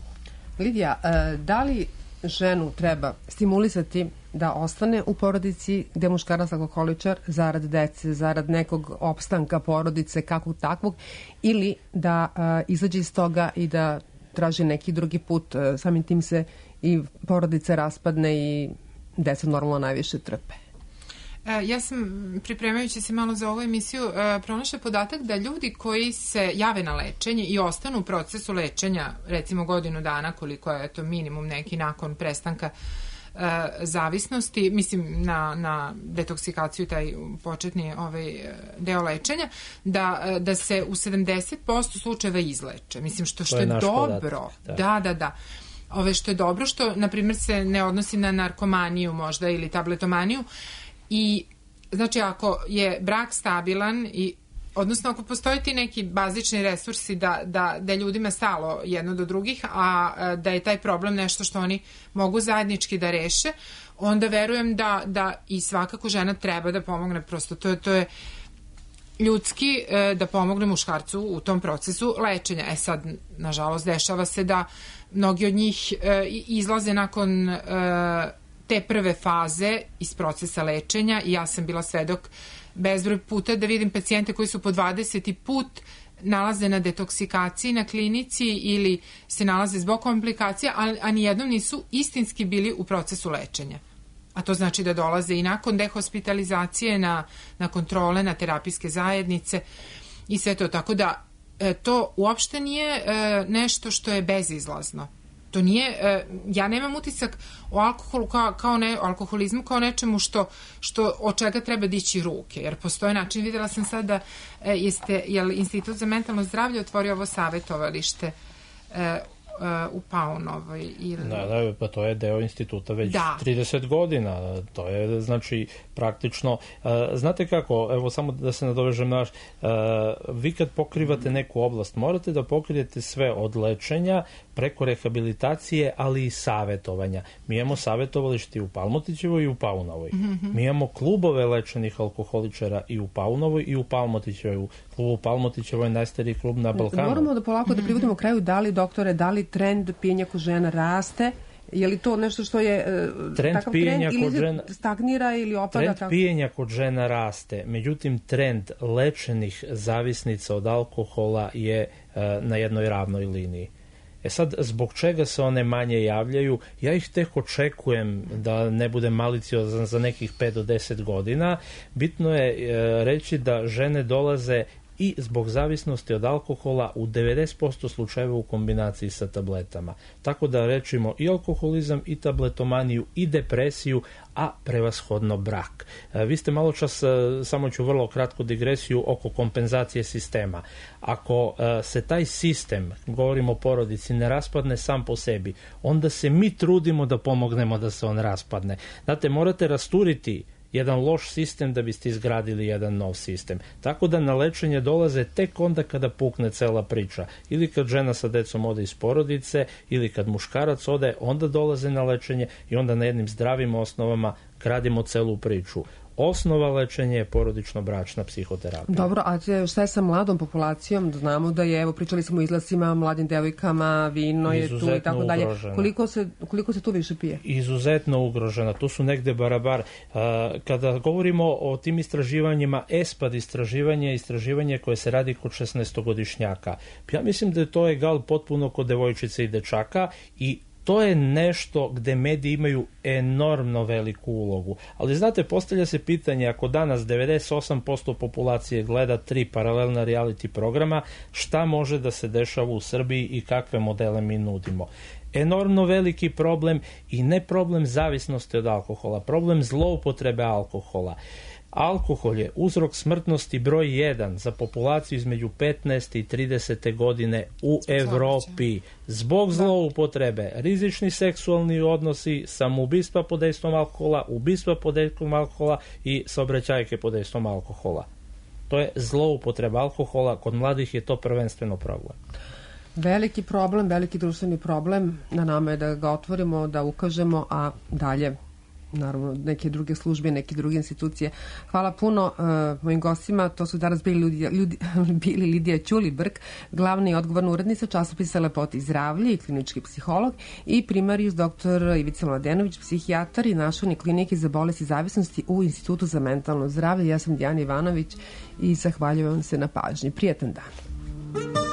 Lidija, da li ženu treba stimulisati da ostane u porodici gde je muškarac alkoholičar zarad dece, zarad nekog opstanka porodice, kakvog takvog, ili da izađe iz toga i da traži neki drugi put, samim tim se i porodica raspadne i deca normalno najviše trpe? Ja sam, pripremajući se malo za ovu emisiju, pronašla podatak da ljudi koji se jave na lečenje i ostanu u procesu lečenja, recimo godinu dana, koliko je to minimum neki nakon prestanka zavisnosti, mislim na detoksikaciju, taj početni deo lečenja, da se u 70% slučajeva izleče. Mislim, što je dobro. Da. Što je dobro, što, na primjer, se ne odnosi na narkomaniju možda ili tabletomaniju. I, znači, ako je brak stabilan i odnosno ako postoje ti neki bazični resursi da ljudima stalo jedno do drugih, a da je taj problem nešto što oni mogu zajednički da reše, onda verujem da i svakako žena treba da pomogne, prosto to je ljudski da pomogne muškarcu u tom procesu lečenja. Sad, nažalost, dešava se da mnogi od njih izlaze nakon te prve faze iz procesa lečenja i ja sam bila svedok bezbroj puta da vidim pacijente koji su po 20. put nalaze na detoksikaciji na klinici ili se nalaze zbog komplikacija, a nijednom nisu istinski bili u procesu lečenja. A to znači da dolaze i nakon dehospitalizacije na kontrole, na terapijske zajednice i sve to. Tako da to uopšte nije nešto što je bezizlazno. To nije, ja nemam utisak o alkoholu alkoholizmu kao nečemu od čega treba dići ruke, jer postoje način. Videla sam sad da je Institut za mentalno zdravlje otvorio ovo savjetovalište u Paunovoj. Da, pa to je deo instituta već 30 godina. To je, znači, praktično... znate kako, evo samo da se nadovežem naš, vi kad pokrivate neku oblast, morate da pokrijete sve od lečenja preko rehabilitacije, ali i savjetovanja. Mi imamo savjetovalište u Palmotićevoj i u Paunovoj. Mi imamo klubove lečenih alkoholičara i u Paunovoj i u Palmotićevoj. U klubu Palmotićevoj je najstariji klub na Balkanu. Moramo da polako da privodimo kraju, da li trend pijenja kod žena raste? Je li to nešto što je takav trend ili stagnira ili opada? Trend pijenja kod žena raste, međutim trend lečenih zavisnica od alkohola je na jednoj ravnoj liniji. Sad, zbog čega se one manje javljaju? Ja ih tek očekujem, da ne budem maliciozan, za nekih 5 do 10 godina. Bitno je reći da žene dolaze i zbog zavisnosti od alkohola u 90% slučajeva u kombinaciji sa tabletama. Tako da rečimo i alkoholizam, i tabletomaniju, i depresiju, a prevashodno brak. Vi ste malo čas, samo ću vrlo kratku digresiju oko kompenzacije sistema. Ako se taj sistem, govorimo o porodici, ne raspadne sam po sebi, onda se mi trudimo da pomognemo da se on raspadne. Znate, morate rasturiti jedan loš sistem da biste izgradili jedan nov sistem. Tako da na lečenje dolaze tek onda kada pukne cela priča. Ili kad žena sa decom ode iz porodice, ili kad muškarac ode, onda dolaze na lečenje i onda na jednim zdravim osnovama gradimo celu priču. Osnova lečenja je porodično-bračna psihoterapija. Dobro, a šta je sa mladom populacijom? Znamo da je, evo, pričali smo o izlascima, mladim devojkama, vino je tu i tako dalje. Koliko se tu više pije? Izuzetno ugrožena. Tu su negde barabar. Kada govorimo o tim istraživanjima, ESPAD istraživanje koje se radi kod 16-godišnjaka. Ja mislim da je to egal potpuno kod devojčice i dečaka i to je nešto gde mediji imaju enormno veliku ulogu. Ali znate, postavlja se pitanje, ako danas 98% populacije gleda 3 paralelna reality programa, šta može da se dešava u Srbiji i kakve modele mi nudimo? Enormno veliki problem i ne problem zavisnosti od alkohola, problem zloupotrebe alkohola. Alkohol je uzrok smrtnosti broj 1 za populaciju između 15. i 30. godine u Evropi. Zbog zloupotrebe, rizični seksualni odnosi, samoubistva pod dejstvom alkohola, ubistva pod dejstvom alkohola i saobraćajke pod dejstvom alkohola. To je zloupotreba alkohola, kod mladih je to prvenstveno problem. Veliki problem, veliki društveni problem, na nama je da ga otvorimo, da ukažemo, a dalje naravno neke druge službe, neke druge institucije. Hvala puno mojim gostima, to su danas bili Lidija Ćulibrk, glavna i odgovorna urednica časopisa Lepota i zdravlje i klinički psiholog, i primarijus dr. Ivica Mladenović, psihijatar i našavni klinike za bolesti zavisnosti u Institutu za mentalno zdravlje. Ja sam Dijana Ivanović i zahvaljujem se na pažnji. Prijatan dan.